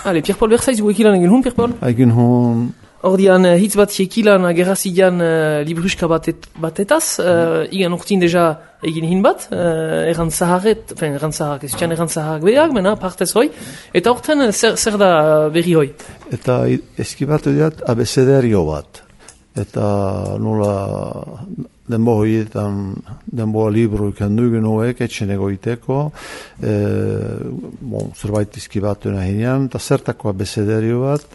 Ale, Pierre-Paul Berzaiz, ekilan egin hun, Pierre-Paul? Egin hun... Ordian, hitz bat ekilan gerrazidian libruska batetaz, igan urtin deja egin hin bat, errantzaharrak, beak, mena, partez hoi, eta horten zer da berri hoi? Eta eskibatu diat abecedario bat. Eta nola denbo hoietan, denboa libru ikandugen hoek, etxen egoiteko, zerbait izkibatu nahinean, eta zertako abecedario bat,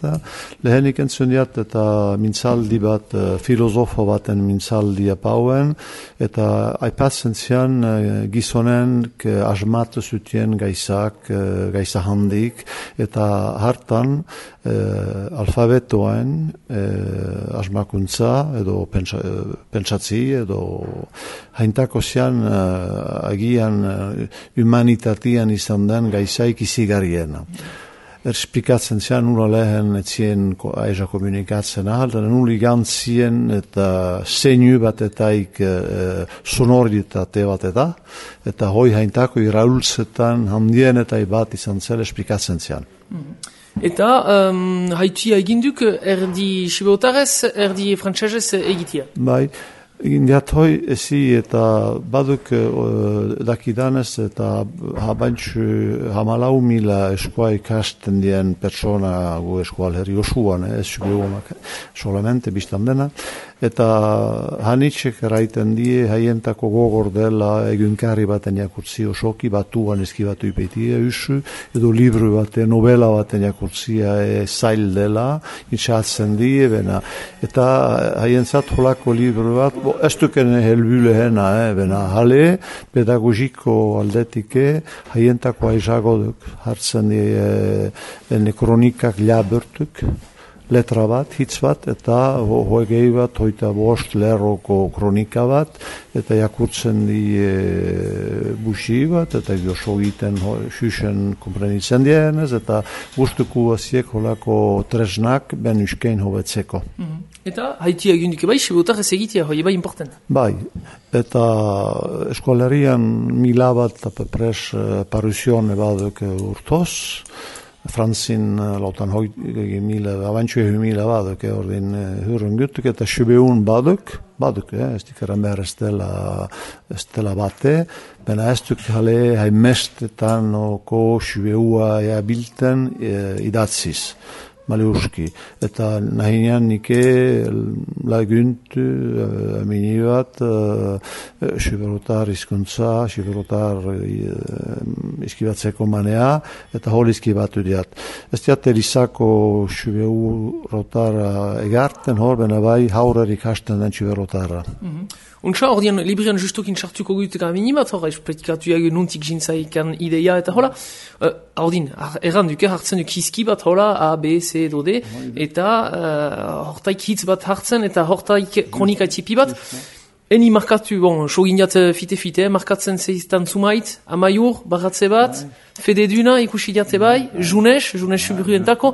lehenik entzun diat, eta mintzaldi bat, filosofo baten mintzaldi apauen, eta aipatzen zian gizonen asmatu zutien gaizak, gaiza handik, eta hartan alfabetoen asmakuntza, edo pentsatzi, edo haintako zian agian humanitatian izan den gaizaik izigarriena. Esplikatzen zian nula lehen etzien aiza komunikatzen ahal, eta nuli gantzien eta zeinu batetaik sonoritate bat eta hoi haintako iraultzetan handien eta bat izan zel esplikatzen zian. Eta haitia eginduk erdi sibeotarez, erdi frantsesez egitia? Bai, egin diat hoi ezi eta baduk dakidanez eta hamalau mila eskoa ikasten dien persona gu eskoal herri osuan, ez sibeonak solamente biztan dena. Eta hanitxek eraiten die haientako gogor dela egunkari baten jakurtzi osoki, batuan eskibatu ipetia usu, edo libru baten, novela baten jakurtzia zail dela, itxatzen die, bena. Eta haientzat holako libru bat, ez duken helbülehena, bena, hale, pedagogiko aldetike, haientako aizago duk, hartzen die kronikak labertuk, letra bat, hitz bat, eta hoegei bat, hoita bost lerroko kronika bat, eta jakurtzen di busi bat, eta gozo egiten xuxen komprenitzen dienez, eta guztuko aziek holako tresnak ben uskein hobetzeko. Eta haitia egindik bai, sibeotar ez egitea, hoi bai important. Bai, eta eskolarian mila bat apepres paruzione baduk urtoz, Franzin lautan hoi mila, avantxue mila baduk, ordin hurren gutuk, eta sibeun baduk, ez dikaren behar ez dela bate, bena ez duk jale haimestetan oko sibeua bilten idatziz. Maliuski. Eta nahinean nike laguntu amini bat siberotar izkuntza, siberotar iskibatzeko manea, eta hol iskibatu diat. Ez diat erizako siberotara egarten, hor bena bai haurer ikasten den siberotara. Untsa, ordean, librian justukin sartuko gutuka minimat, hor, espretikatu jagu nuntik jintzaikan ideia, eta hola, ordin, erranduke hartzen duk hizki bat, hola, A, B, C, edo D, eta hortaik hitz bat hartzen, eta hortaik kronika tipi bat, eni markatu, sogindiat fite, markatzen zeiztan zumait, amaiur, barratze bat, fededuna, ikusi diate bai, junes suburuentako,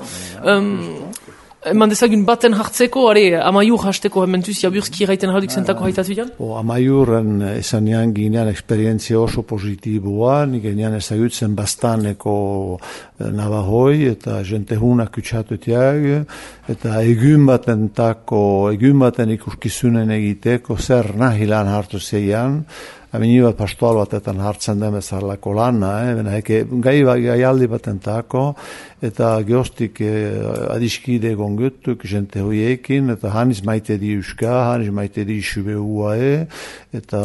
eman dezagun baten hartzeko, amaiur hasteko hementuz jaburski eraiten halduk zentako haitatu dian? Amaiurren esanean ginean eksperientzia oso positiboa, nik ginean ezagutzen bastaneko nabahoi, eta jente hunak kutsatutiak, eta egun baten ikuskizunen egiteko, zer nahilan hartu zeian, Amini bat pastoal batetan hartzen den bezalako lana, gai aldi batentako, eta geostik adiskide gongutuk, jente hoiekin, eta haniz maite di uska, haniz maite di sibeua, eta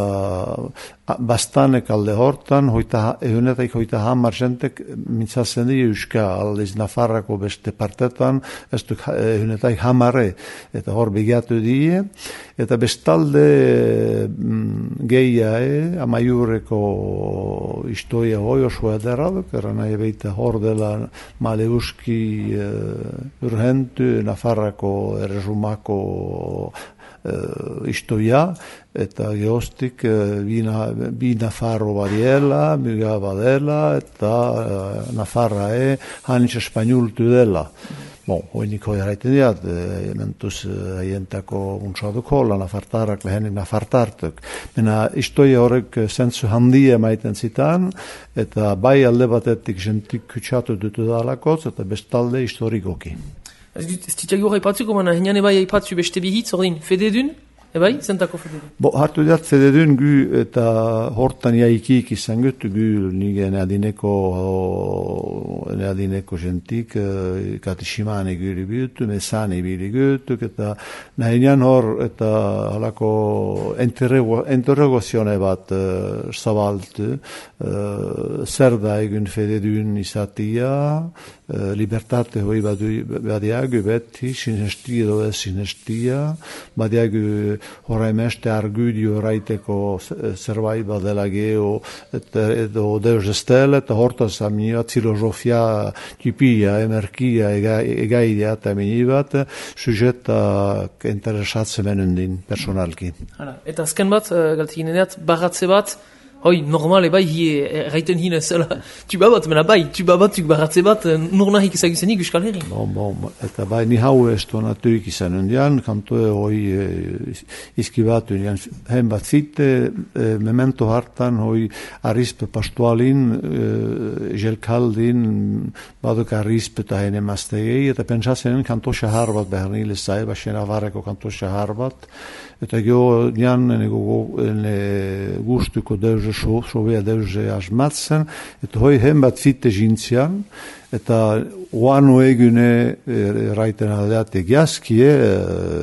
bastanek alde hortan, egunetaik hoita hamar jentek mintzatzen di uska, aldiz Nafarrako beste partetan, ez duk egunetaik hamare, eta hor begiatu die, eta bestalde geia, amaiurreko istoia hoi oso ederraduk, eran nahi beita hor dela Maleuski urhentu, Nafarrako erresumako istoia, eta geostik bi Nafarro badiela, miga badela, eta Nafarra hanitz espainultu dela. hoinik hoi harraiten diat, mentuz haientako untsaduko, nafartarrak, lehenik nafartartuk. Mena istoia horrek zentzu handia maiten zitan, eta bai alde batetik jentik kutsatu dutu dalakotz, eta bestalde historikoki. Ez ditzago hori patzuko, mana hinean ebai haipatzu beste bihitz, ordin, fededun? Ebai, zentako fededun? Hartu diat fededun gu eta hortan jaikik izan gutu gu nige neadineko jentik katishimane guri biutu, mesane bili gutu, eta nahinean hor eta halako interrogazione bat zabaltu, zer da egun fededun izatia, libertate hoi badiagu beti, sinestia edo ez sinestia, badiagu horreimeste argudio raiteko zerbait badela geho edo deus estele, eta hortaz aminibat filosofia tipia, emerkia egaidea eta aminibat, sujeta interesatzen menundin personalki. Eta azken bat, galtekin eneat, baratze bat, hoi, normale bai, erraiten hine zela, tuba bat, mena bai, tuba batzuk baratze bat, nurnahik ezaguzenik Euskal Herri. Eta bai, ni hau estonatuik izan undian, kantoe hoi izkibatu undian, hen bat zite, memento hartan, hoi arispe pastualin, jelkaldin, baduk arispe eta hene mastegei, eta pentsatzen kanto shahar bat behar nile zai, baxen avareko kanto shahar bat, eta geho nian gustuko deuze šovea deuze asmatzen, eta hoi hen bat zite žinzian, eta oanu egune raiten aldeat egiaskie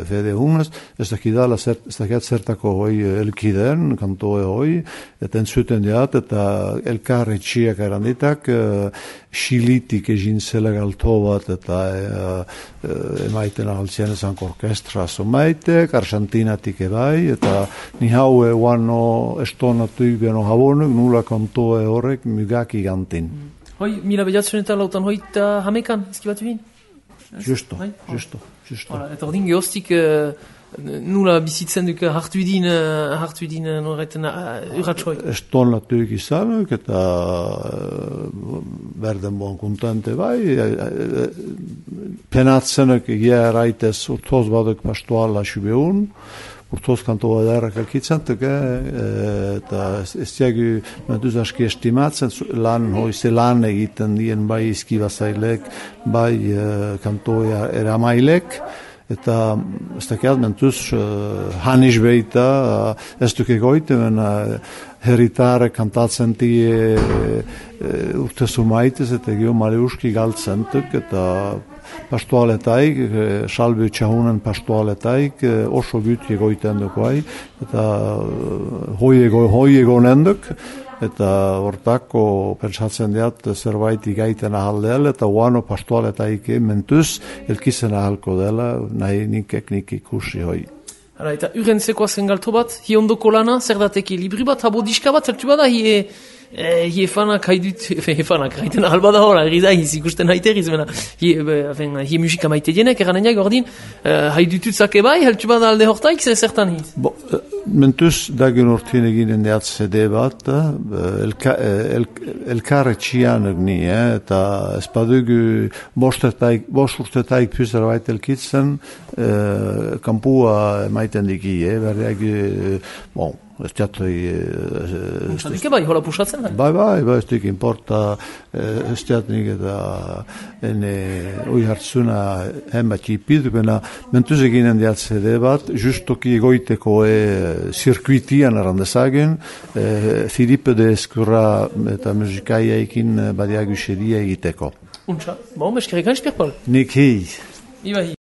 fede hunas, ez dakidala zertako hoi elkiden, kantoe hoi, eta entzuten diat, eta elkarre txiak eranditak, xilitik egintzela galto bat, eta emaiten altzien ezank orkestra somaitek, Argentinatik ebai, eta ni haue oano estonatuik beno habonuk, nula kantoe horrek mugaki gantin. Hoi, mila behatzen eta lautan hoita hamekan, ezkibatu hin? Justo. Eta ordin gehoztik nula bizitzen duk hartu idin norreiten urratxoi? Eston latuik izanuk eta berden bon kontente bai, penatzenek egia eraitez urtoz baduk pastoala xubeun, urtoz kantoa derrak alkitzantuk, eta ez diagu mentuz aski estimatzen, hoize lan egiten dien bai izkibazailek, bai kantoa eramailek, eta ez dakiat mentuz hanis beita, ez duk egoiten, heritare kantatzen tie urtezu maitez, eta gio maleuski galtzentuk, eta pastoaletaik, salbe txahunen pastoaletaik, oso guti egoiten dukoai, eta hoi egonenduk, eta hortako pentsatzen diat zerbait igaiten ahaldel, eta oano pastoaletaik mentuz elkizen ahalko dela, nahi nik ikusi hoi. Eta urentzeko azen galto bat, hi ondoko lana, zer dateki libri bat, habo diska bat, zertu bada, hi efanak haidut, efanak haiten ahalbada hor, da ikusten haiteriz, hi musika maite dienek, eranenak ordin, haidutut zake bai, heltu bada alde hortaik, zertan hiz? Mentuz dagen urtien eginen deat CD bat, elkarre txianak ni, eta espadugu bost urtetaik pyzerbait elkitzen, kampua maiten diki, berdeak, ez teatroi... Dike bai, hola pusatzen? Bai, ez dik importa, ez teatrik eta oi hartzuna henbat jipiduk, mentuz eginen deat CD bat, justoki egoiteko zirkuitian arandezagen, Filipe de Eskurra eta musikaiaikin badiagu xedia egiteko. Untxa, eskerrik espirpal. Nik hei. Iba hi.